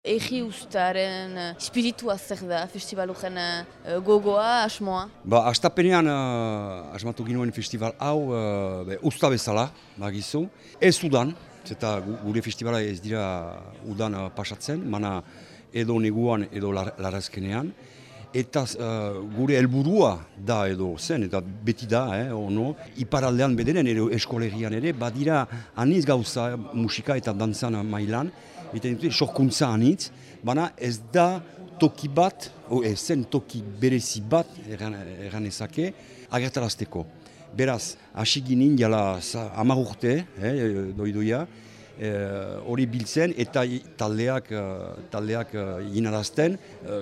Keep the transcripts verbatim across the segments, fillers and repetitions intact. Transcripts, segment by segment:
Egi ustaren uh, espiritua zer da, festivalujen uh, gogoa, asmoa? Ba, astapenean uh, asmatu ginoen festival hau uh, be, usta bezala, bagizu. Ez udan, eta gure festivala ez dira udan uh, pasatzen, mana edo neguan edo lar, larazkenean. Eta uh, gure helburua da edo zen, eta beti da, eh, ono, iparaldean bederen, edo eskolegian ere, badira aniz gauza musika eta dantzan mailan, eta dute sorkuntza anitz, baina ez da toki bat, o ez zen toki berezi bat, erran, erran ezake, agertarazteko. Beraz, hasi ginen jala hamar urte, eh, doidoia, hori eh, biltzen eta taldeak, taldeak inarazten,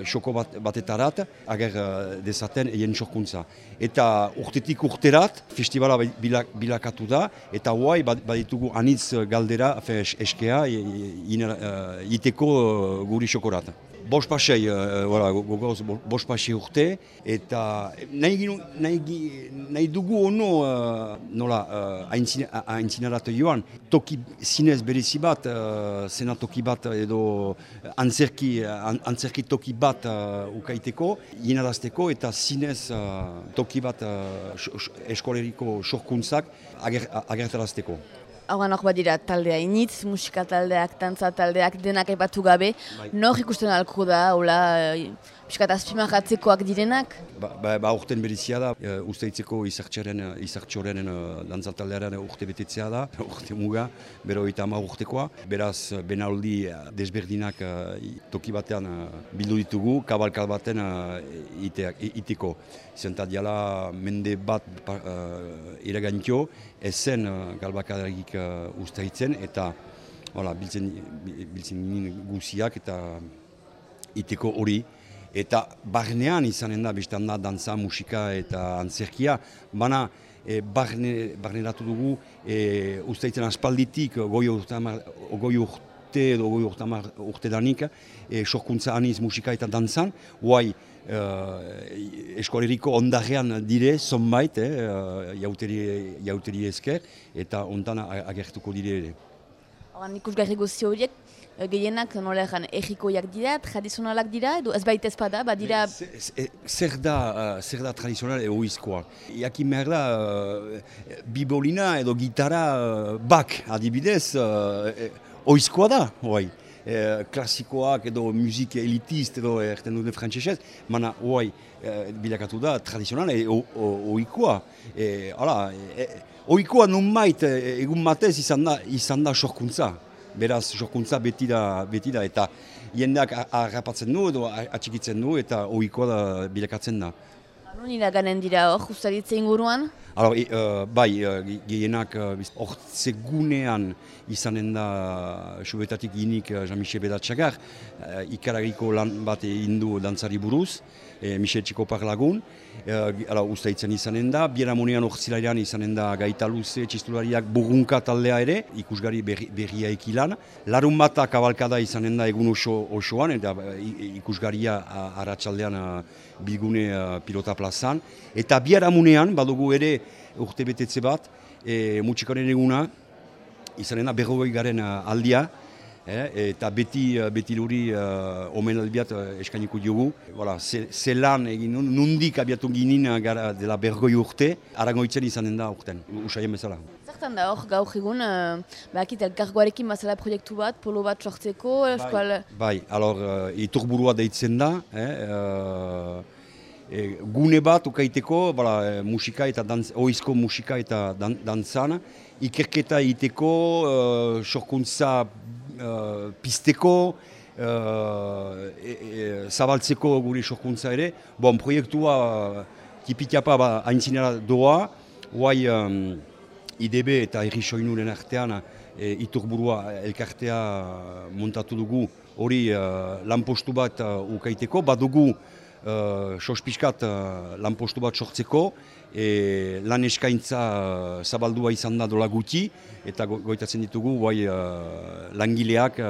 xoko bat, batetarat, ager dezaten egin sorkuntza. Eta urtetik urterat, festivala bilak, bilakatu da, eta hoai baditugu anitz galdera, eskea, iteko guri xokorat. Bos pasei, gogoz, bos pasei urte, eta nahi, nahi, nahi dugu ono, nola, aintzinarat joan, toki zinez berezi bat, zena toki bat edo antzerki, antzerki toki bat ukaiteko, inarazteko eta zinez toki bat eskoleriko sorkuntzak agertarazteko. Hauan hor badira taldea initz, musika taldeak, tantza taldeak, denak aipatu gabe. Bai. Nor ikusten alko da, hola, piskat azpimarratzekoak direnak? Ba, ba, ba urten berizia da, e, usteitzeko izartxoren dantza taldearen urte betetzea da, urte muga, bero eta ama urtekoa. Beraz, benaldi desberdinak toki batean bildu ditugu, kabalkal baten iteko. Zentat jala mende bat uh, iragantio, ezen uh, galbakadarikik uh, ustaitzen, eta voilà, biltzen, biltzen guziak eta iteko hori. Eta barnean izanen da, bestan da, dantza, musika eta antzerkia, baina e, barne, barneratu dugu e, ustaitzen aspalditik goi urte edo goi urte danik, e, sorkuntza aniz musika eta dantzan, guai, Uh, eskoleriko ondarean dire, zonbait, eh, jauteri, jauteri esker, eta ondan agertuko dire ere. Horan ikusgarri guzti horiek, gehienak nola egan egikoiak dira, tradizionalak dira, edo ez baita ezpada, badira... Zer da, uh, zer da tradizional edo oizkoa. Jakin behar da, uh, bibolina edo gitara uh, bak, adibidez, uh, oizkoa da, hoai. Eh, klasikoak edo musik elitist edo erten dute frantzesez, mana hoai eh, bilakatu da tradizional e, oikoa. E, e, oikoa nun bait egun batez izan da, izan da sorkuntza. Beraz, sorkuntza beti da, beti da eta jendeak harrapatzen du edo atxikitzen du eta oikoa da bilakatzen da. Non iraganen dira hor, ustaritze inguruan? Alors, e, uh, bai, uh, gehienak hortze uh, gunean izanen da subetatik ginik uh, Jean-Michel Bedatxagar, uh, ikaragiko lan bat indu dantzari buruz, e, Michel Txikopar lagun, uh, ustaitzen izanen da, Bieramonean hortzilairan izanen da Gaita Luze, txistulariak burrunka taldea ere, ikusgari berri, berria ekilan, larun bat kabalkada izanen da egun oso, osoan, eta ikusgaria arratsaldean uh, bilgune uh, pilota plazan, eta Bieramonean badugu ere urte betetze bat, e, mutxikoaren eguna, izanen da berrogei garen aldia, eh, eta beti, beti luri uh, omen albiat uh, eskainiko diogu. Voilà, zelan egin, nundik abiatu ginen gara dela berrogei urte, arangoitzen izanen da urten, usaien bezala. Zertan da hor gaur egun, uh, bakit elkargoarekin bazala proiektu bat, polo bat sortzeko, eskual... Bai, bai, alor, uh, iturburua deitzen da, eh, uh, E, gune bat ukaiteko, bala, musika eta dantz, oizko musika eta dan, dantzan, ikerketa egiteko, uh, sorkuntza uh, pizteko, uh, e, e, zabaltzeko gure sorkuntza ere. Bon, proiektua uh, tipitiapa ba, haintzinera doa, guai um, I D B eta Herri Soinuren artean e, iturburua elkartea montatu dugu, hori uh, lanpostu bat uh, ukaiteko, badugu Uh, sospiskat uh, lanpostu bat sortzeko, e, lan eskaintza uh, zabaldua izan da dola guti, eta go goitatzen ditugu guai, uh, langileak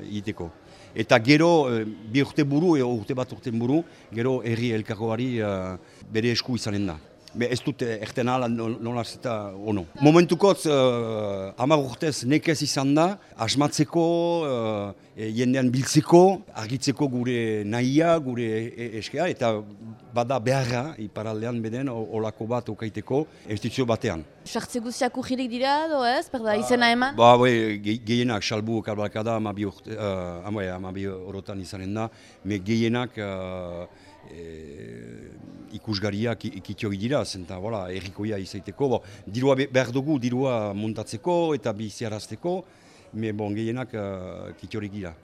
egiteko. Uh, eta gero, uh, bi urte buru, e, urte bat urte buru, gero herri elkargoari uh, bere esku izanen da. Be ez dut erten ala nola zeta ono. Momentukotz uh, hamar urtez nekez izan da, asmatzeko, uh, jendean biltzeko, argitzeko gure nahia, gure eskea, eta bada beharra, iparaldean beden, olako bat okaiteko, estizio batean. Sartze guztiak urririk dira, do ez? Perda izena eman? Ba, bai, gehienak, salbu kalbalkada, amabi uh, orotan izanen da, me gehienak uh, e, ikusgariak ikitio dira, zenta, voilà, errikoia izaiteko. Bo, dirua behar dugu, dirua montatzeko eta biziarazteko, me bon, gehienak uh, kitiorik dira.